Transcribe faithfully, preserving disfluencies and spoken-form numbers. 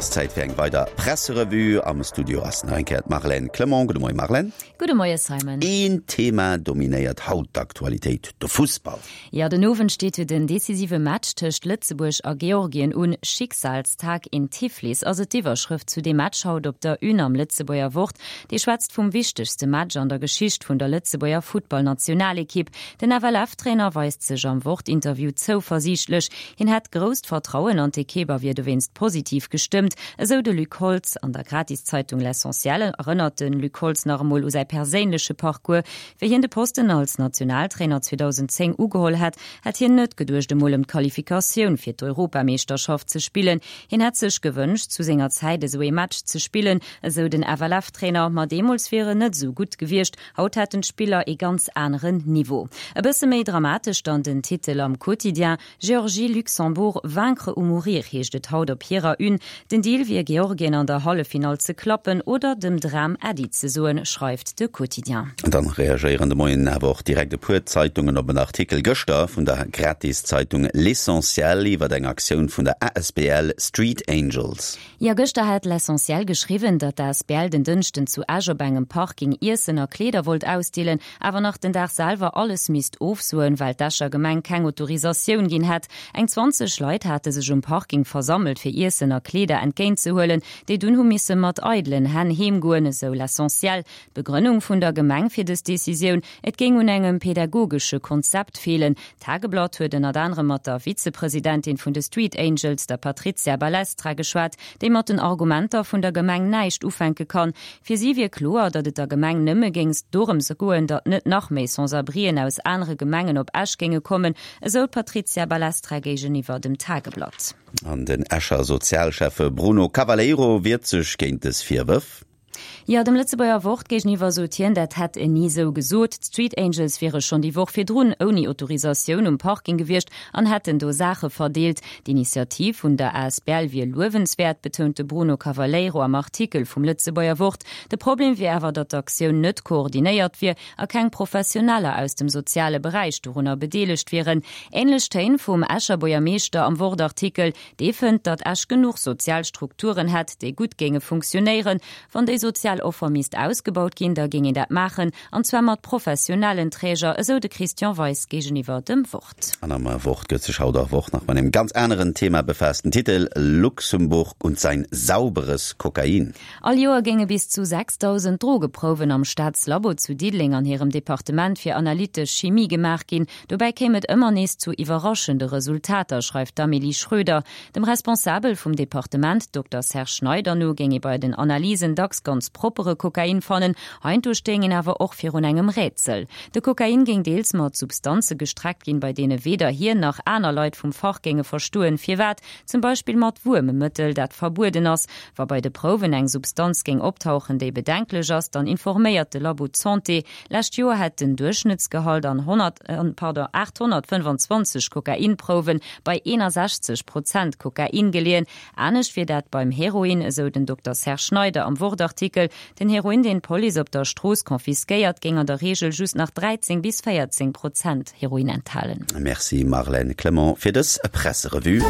ass Zäit fir eng weider Presserevue. Am Studio ass nach eng Kéier d'Marlène Clement. Gudde Moie Marlène. Gudde Moie Simon. Een Thema dominéiert haut d'Aktualitéit, de Fussball. Jo, den Owend steet jo den decisive Match tëscht Lëtzebuerg a Georgien un. Schicksalstag in Tiflis ass et d'Iwwerschrëft zu deem Match haut op der Une am Lëtzebuerger Wort. Déi schwätzt vum wichtegste Match an der Geschicht vun der Lëtzebuerger Futtballnationalekipp. Den F L F-Trainer weist sech am Wort-Interview zouversiichtlech. Hien hätt grousst Vertrauen an d'Ekipp a wier dowéinst positiv gestëmmt, esou de Luc Holtz. An der Gratiszeitung L'Essentiel erënnert de Luc Holtz nach emol u säi perséinleche Parcours. Wéi hien de Posten als Nationaltrainer zweedausendzéng ugeholl hätt, hätt hien net geduecht, emol ëm d'Qualifikatioun fir d'Europameeschterschaft ze spillen. Hien hätt sech gewënscht, zu senger Zäit esou ee Match ze spillen, esou den F L F-Trainer, ma deemools wier en net esou gutt gewiescht, haut hätten d'Spiller ee ganz aneren Niveau. E bësse méi dramatesch dann den Titel am Quotidien, Géorgie Luxembourg, vaincre ou mourir heescht et haut op hirer Une. Den Deal wier Georgien an der Halleffinall ze klappen oder dem Dram Äddi ze soen, schreift de Quotidien. Dann reagéieren de Moien awer och direkt e puer Zeitungen op en Artikel gëschter vun der Gratiszeitung L'Essentiel iwwer eng Aktioun vun der A S B L Street Angels. Jo, gëschter hat L'Essentiel geschriwwen, datt d'A S B L den Dënschden zu Esch op engem Parking Iessen a Kleeder wollt ausdeelen, awer nach den Dag selwer alles misst ofsoen, well d'Escher Gemeng keng Autorisatioun ginn hätt. Eng zwanzeg Leit hate sech um Parking versammelt fir Iessen a Kleeder entgéintzehuelen, déi dunn hu misse mat eidelen Hänn heemgoen, esou L'Essentiel. D'Begrënnung vun der Gemeng fir dës Decisioun, et géing un engem pädagogesche Konzept feelen. D'Tageblatt huet ënnert anerem mat der Vizepresidentin vun de Street Angels, der Patrizia Balestra, geschwat, déi mat den Argumenter vun der Gemeng näischt ufänke kann. Fir si wier kloer, datt et der Gemeng nëmme géing dorëms goen, datt net nach méi Sans-abrien aus anere Gemengen op Esch géinge kommen, esou d'Patrizia Balestra géigeniwwer dem Tageblatt. An den Escher Sozialschäffe Bruno Cavaleiro wiert sech géint dës Virwërf. Jo, dem Lëtzebuerger Wort géigeniwwer sot hien, dat hätt en ni sou gesot. D'Street Angels wiere schonn déi Woch virdrun ouni Autorisatioun um Parking gewiescht an hätten do Saache verdeelt. D'Initiativ vun der A S B L wier luewenswäert, betount de Bruno Cavaleiro am Artikel vum Lëtzebuerger Wort. De Problem wier awer, datt d'Aktioun net koordinéiert wier a keng Professioneller aus dem soziale Beräich dorunner bedeelegt wieren. Änlech Téin vum Escher Buergermeeschter am Wort-Artikel, dee fënnt, datt Esch genuch sozial Strukturen hätt, déi gutt géinge funktionéieren. Wann déi sozial Offer misst ausgebaut ginn, da géing een dat maachen, an zwar mat professionellen Träger, esou de Christian Weis géigeniwwer dem Wort. An am Wort gëtt sech haut och och nach mat engem ganz aneren Thema befaasst. Den Titel Luxemburg und sein sauberes Kokain. All Joer géinge bis zu sechsdausend Drogeprouwen am Staatslabo zu Diddeleng an hirem Departement fir analytesch Chimie gemaach ginn. Dobäi kéim et ëmmer nees zu iwwerraschende Resultater, schreift d'Amélie Schröder. Dem Responsabel vum Departement, Dokter Serge Schneider no, géing ee bei den Analysen dacks ganz proppere Kokain fannen, heiansdo stéing een awer och virun engem Rätsel. De Kokain géing deels mat Substanze gestreckt ginn, bei deene weder hien nach aner Leit vum Fach géinge verstoen, firwat, zum Beispill mat Wuermmëttel, dat verbueden ass. Wa bei de Prouwen eng Substanz géing optauchen, déi bedenklech ass, dann informéiert de Labo d'Santé. Lescht Joer hätt den Duerchschnëttsgehalt an honnert, pardon, aathonnertfënnfanzwanzeg Kokainprouwe bei eenasechzeg Prozent Kokain geleeën. Anescht wier dat beim Heroin, esou den Dokter Serge Schneider am Wort-Artikel. Den Heroin, deen d'Police op der Strooss konfiskéiert, géing an der Reegel just nach dräizéng bis véierzéng Prozent Heroin enthalen. Merci Marlène Clement fir dës Presserevue.